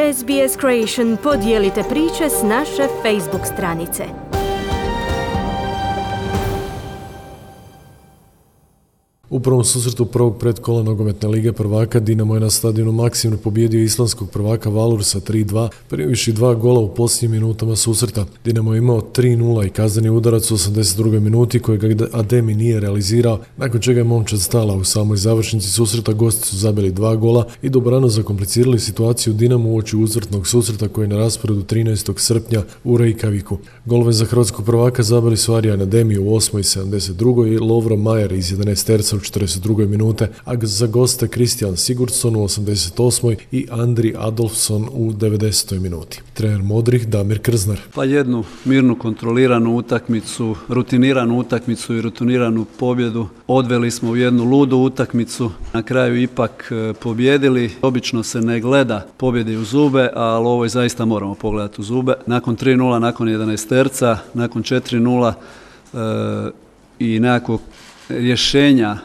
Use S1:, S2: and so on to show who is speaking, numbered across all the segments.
S1: SBS Creation podijelite priče s naše Facebook stranice.
S2: U prvom susretu prvog predkola nogometne lige prvaka Dinamo je na stadionu Maksimir pobijedio islandskog prvaka Valur sa 3-2, primivši 2 gola u posljednjim minutama susreta. Dinamo je imao 3-0 i kazneni udarac u 82. minuti kojeg Ademi nije realizirao, nakon čega je momčad stala. U samoj završnici susreta gosti su zabili 2 gola i dobrano zakomplicirali situaciju Dinamo uoči uzvratnog susreta koji je na rasporedu 13. srpnja u Reykjaviku. Golove za hrvatskog prvaka zabili su Arjan Ademi u 8. i 72. i Lovro Majer iz 11 terca u 42. minute, a za goste Kristijan Sigurdsson u 88. i Andri Adolfsson u 90. minuti. Trener modrih Damir Krznar.
S3: Pa jednu mirnu, kontroliranu utakmicu, rutiniranu utakmicu i rutiniranu pobjedu. Odveli smo u jednu ludu utakmicu, na kraju ipak pobjedili. Obično se ne gleda pobjede u zube, ali ovo zaista moramo pogledati u zube. Nakon 3-0, nakon 11 terca, nakon 4-0 i nekakvog rješenja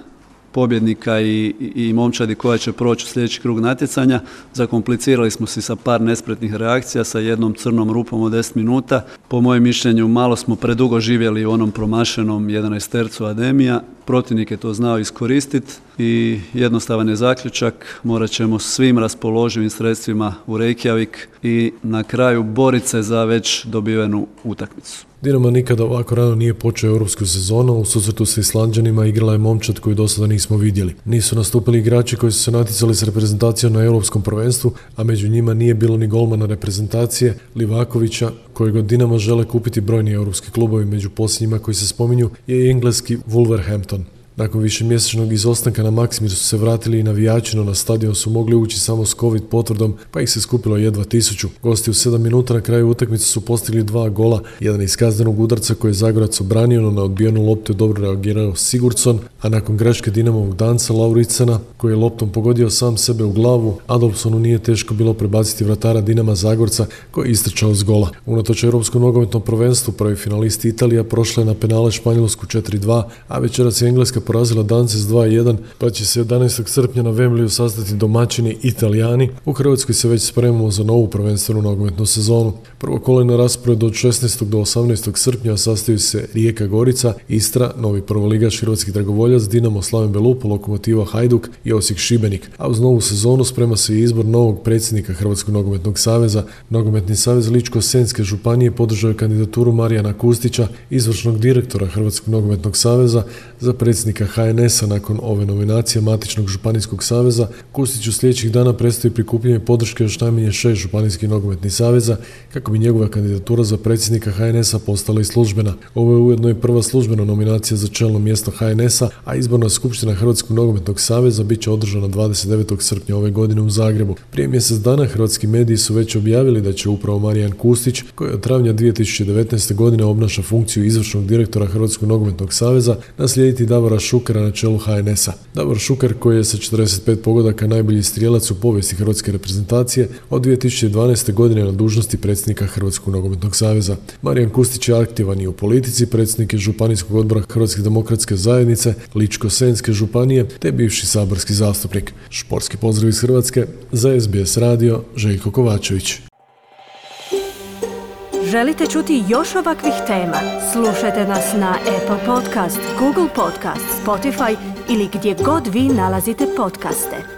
S3: pobjednika i momčadi koja će proći u sljedeći krug natjecanja. Zakomplicirali smo se sa par nespretnih reakcija, sa jednom crnom rupom od 10 minuta. Po mojem mišljenju malo smo predugo živjeli u onom promašenom 11 tercu Ademija. Protivnik je to znao iskoristiti i jednostavan je zaključak. Morat ćemo svim raspoloživim sredstvima u Reykjavik i na kraju boriti se za već dobivenu utakmicu.
S2: Dinamo nikada ovako rano nije počeo europsku sezonu, u susretu sa Islanđanima igrala je momčad koju do sada nismo vidjeli. Nisu nastupili igrači koji su se natjecali s reprezentacijom na europskom prvenstvu, a među njima nije bilo ni golmana reprezentacije Livakovića, kojeg od Dinama žele kupiti brojni europski klubovi. Među posljednjima koji se spominju je i engleski Wolverhampton. Nakon višemjesečnog izostanka na Maksimiru su se vratili i navijači, no na stadion su mogli ući samo s COVID potvrdom, pa ih se skupilo jedva 1000. Gosti u 7 minuta na kraju utakmice su postigli 2 gola, jedan iz kaznenog udarca koji je Zagorac obranio, no na odbijenu loptu je dobro reagirao Sigurdsson, a nakon greške Dinamovog danca Lauricena, koji je loptom pogodio sam sebe u glavu, Adolfssonu nije teško bilo prebaciti vratara Dinama Zagorca koji je istrčao s gola. Unatoč europskom nogometnom prvenstvu prvi finalist Italija prošla je na penale Španjolsku 4-2, a večeras je Engleska porazila Dance s 2-1, pa će se 11. srpnja na Wembleyu sastati domaćini Italijani. U Hrvatskoj se već spremamo za novu prvenstvenu nogometnu sezonu. Prvo kolo je na rasporedu od 16. do 18. srpnja, sastaju se Rijeka Gorica, Istra, novi prvoligaš Hrvatski Dragovoljac, Dinamo Slaven Belupo, Lokomotiva Hajduk i Osijek Šibenik. A uz novu sezonu sprema se i izbor novog predsjednika Hrvatskog nogometnog saveza. Nogometni savez Ličko-senjske županije podržao je kandidaturu Marijana Kustića, izvršnog direktora Hrvatskog nogometnog saveza, za predsjednika HNS-a. Nakon ove nominacije matičnog županijskog saveza, Kustiću sljedećih dana predstoji prikupljanje podrške još najmanje 6 županijskih nogometnih saveza kako bi njegova kandidatura za predsjednika HNS-a postala i službena. Ovo je ujedno i prva službena nominacija za čelno mjesto HNS-a, a izborna skupština Hrvatskog nogometnog saveza bit će održana 29. srpnja ove godine u Zagrebu. Prije mjesec dana hrvatski mediji su već objavili da će upravo Marijan Kustić, koji od travnja 2019. godine obnaša funkciju izvršnog direktora Hrvatskog nogometnog saveza, naslijediti Davora Šukera na čelu HNS-a. Davor Šuker, koji je sa 45 pogodaka najbolji strijelac u povijesti hrvatske reprezentacije, od 2012. godine na dužnosti predsjednika Hrvatskog nogometnog saveza. Marijan Kustić je aktivan i u politici, predsjednik je županijskog odbora Hrvatske demokratske zajednice, Ličko-senjske županije, te bivši saborski zastupnik. Športski pozdrav iz Hrvatske, za SBS radio, Željko Kovačević.
S1: Želite čuti još ovakvih tema? Slušajte nas na Apple Podcast, Google Podcast, Spotify ili gdje god vi nalazite podcaste.